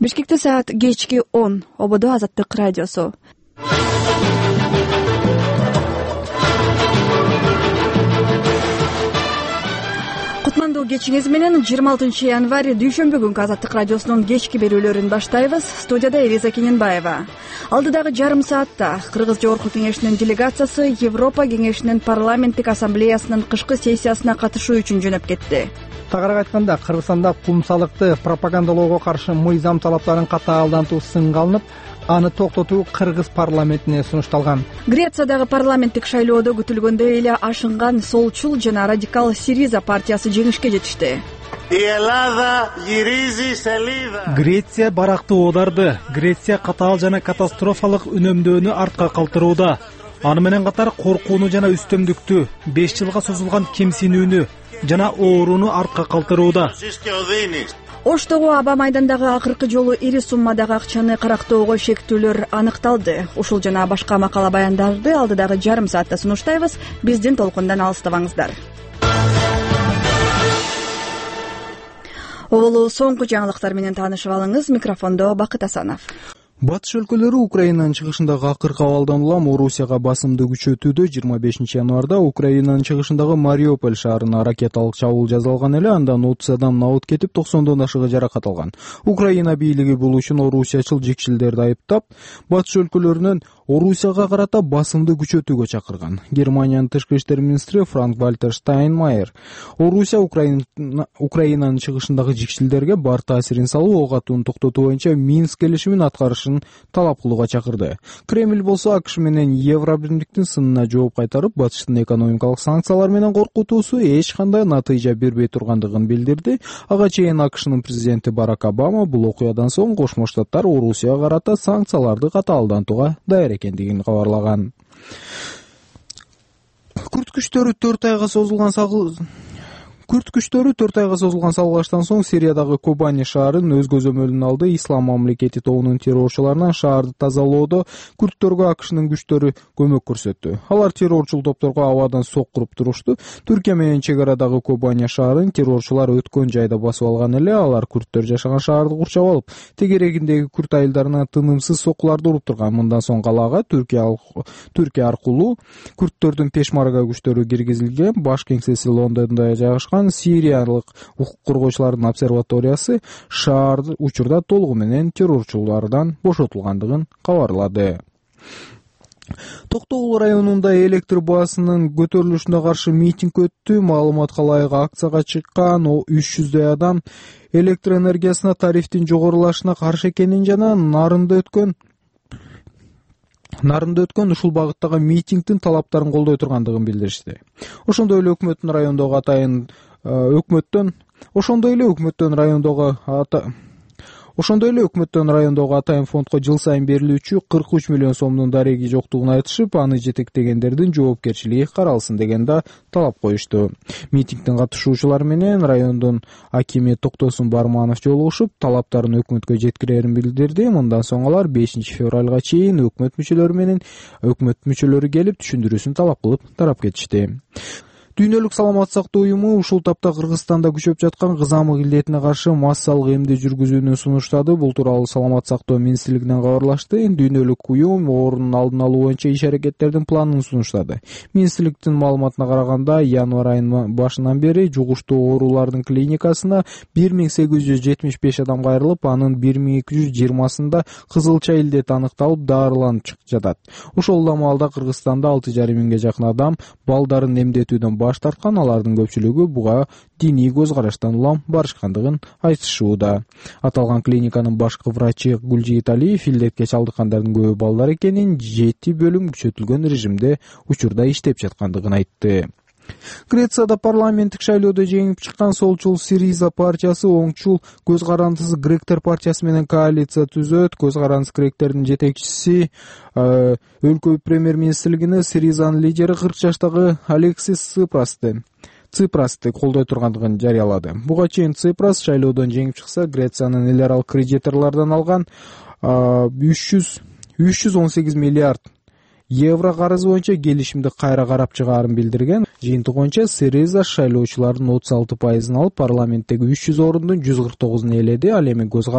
Бишкекте саат кечки 10. Ободо Азаттык радиосу. Кутмандуу кечиңиз менен 26 январь дүйшөмбү күнкү Азаттык радиосунун кечки берүүлөрүн баштайбыз. Студияда Элиза Кененбаева. Алдыдагы жарым саатта Кыргыз Жогорку Кеңешинин делегациясы Европа Кеңешинин парламенттик ассамблеясынын кышкы сессиясына катышуу үчүн жөнөп кетти. Тагыраак айтканда, Кыргызстанда кумсалыкты пропагандалоого каршы мыйзам талаптарын катаалдантуу сынга алынып, аны токтотуу Кыргыз парламентине сунушталган. Грециядагы парламенттик шайлоодо күтүлгөндөй эле ашынган солчул жана радикал Сириза партиясы жеңишке жетишти. Греция баракты оодарды. Греция катаал жана катастрофалык үнөмдөөнү артка калтырууда. Аны менен катар коркууну жана үстөмдүктү, 5 жылга созулган кемсинүүнү жана ооруну артка калтырууда. Оштогу аба майдандагы акыркы жолу ири суммадагы акчаны карактоого шектүүлөр аныкталды. Ушул жана башка макала баяндарды алдыдагы жарым саатта сунуштайбыз. Биздин толкундан алыстабаңыздар. Олу соңку жаңылыктар менен таанышып алыңыз. Микрофондо Бакыт Асанов. Батыш өлкөлөрү Украинанын чыгышындагы акыркы абалдан улам Орусияга басымды күчөтүүдө. 25 январда Украинанын чыгышындагы Мариуполь шаарына ракеталык чабуул жасалган эле. Андан 30 адам набыт кетип, 90дон ашыгы жаракат алган. Украина бийлиги бул үчүн орусиячыл жекчилдерди айыптап, батыш өлкөлөрүнөн Орусияга карата басымды күчөтүүгө чакырган. Германиянын тышкы иштер министри Франк-Вальтер Штайнмайер Орусия Украинанын чыгышындагы жекчилдерге бар таасирин салуу, ок атууну токтотуу боюнча Минск келишимин аткарышын талап кылууга чакырды. Кремль болсо АКШ менен Евробиримдиктин сынына жооп кайтарып, батыштын экономикалык санкциялар менен коркутуусу эч кандай натыйжа бербей тургандыгын билдирди. Ага чейин АКШнын президенти Барак Обама бул окуядан соң Кошмо Штаттар Орусияга карата санкцияларды катаалдантууга даяр экендигин кабарлаган. Күрд күчтөрү 4 айга созулган салгылаштан соң Сириядагы Кобани шаарын өз көзөмөлүнө алды. Ислам мамлекети тобунун террорчуларынан шаарды тазалоодо күрдтөргө АКШнын күчтөрү көмөк көрсөттү. Алар террорчул топторго абадан соккуруп турушту. Түркия менен чек арадагы Кобани шаарын террорчулар өткөн жайда басып алган эле. Алар күрдтөр жашаган шаарды курчап алып, тегерегиндеги күрд айылдарына тынымсыз соккуларды уруп турган. Мындан соң калаага Түркия аркылуу күрдтөрдүн Пешмарга күчтөрү киргизилген. Баш кеңсеси Лондондо жайгашкан Сириялык укук коргоочулардын обсерваториясы шаар учурда толугу менен террорчулардан бошотулгандыгын кабарлады. Токтогул районунда электр баасынын көтөрүлүшүнө каршы митинг өттү. Маалыматка ылайык акцияга чыккан 300дөй адам электр энергиясына тарифтин жогорулашына каршы экенин жана нарында өткөн ушул багыттагы митингдин талаптарын колдой тургандыгын билдиришти. Ошондой эле өкмөттүн райондогу атайын фондко жыл сайын берилүүчү 43 миллион сомдун дареги жоктугун айтышып, аны жетектегендердин жоопкерчилиги каралсын деген да талап коюшту. Митингдин катышуучулары менен райондун акими Токтосун Барманов жолугушуп, талаптарын өкмөткө жеткирерин билдирди. Мындан соң алар 5 февралга чейин өкмөт мүчөлөрү келип түшүндүрүүсүн талап кылып тарап кетишти. Дүйнөлүк саламаттык сактоо уюму ушул тапта Кыргызстанда күчөп жаткан кызамык илдетине каршы массалык эмди жүргүзүүнү сунуштады. Бул тууралуу Саламаттык сактоо министрлигинен кабарлашты. Дүйнөлүк уюм оорунун алдын алуу боюнча иш-аракеттердин планын сунуштады. Министрликтин маалыматына караганда, январь айынын башынан бери жугуштуу оорулардын клиникасына 1875 адам кайрылып, анын 1220-сында кызылча илдет аныкталып, дарыланып жатат. Ошол эле маалда Кыргызстанда 6,5 миңге жакын адам балдарын эмдетүүдөн баш тарткан. Алардын көпчүлүгү буга диний көз караштан улам барышкандыгын айтышууда. Аталган клиниканын башкы врачы Гулжигит Алиев илдетке чалдыккандардын көбү балдар экенин, 7 бөлүм күчөтүлгөн режимде учурда иштеп жаткандыгын айтты. Грецияда парламенттик шайлоодо жеңип чыккан солчул Сириза партиясы оңчул көз карандысыз гректер партиясы менен коалиция түзөт. Көз карандысыз гректердин жетекчиси өлкө премьер-министрлигине Сиризанын лидери 40 жаштагы Алексис Ципрасты колдой тургандыгын жарыялады. Буга чейин Ципрас шайлоодон жеңип чыкса, Грециянын эл аралык кредиторлордон алган 318 миллиард евро карызы боюнча келишимди кайра карап чыгаарын билдирген. Жыйынтык боюнча Сириза шайлоочулардын 36% алып, парламенттеги 300 орундун 149-ун ээледи. Ал эми көз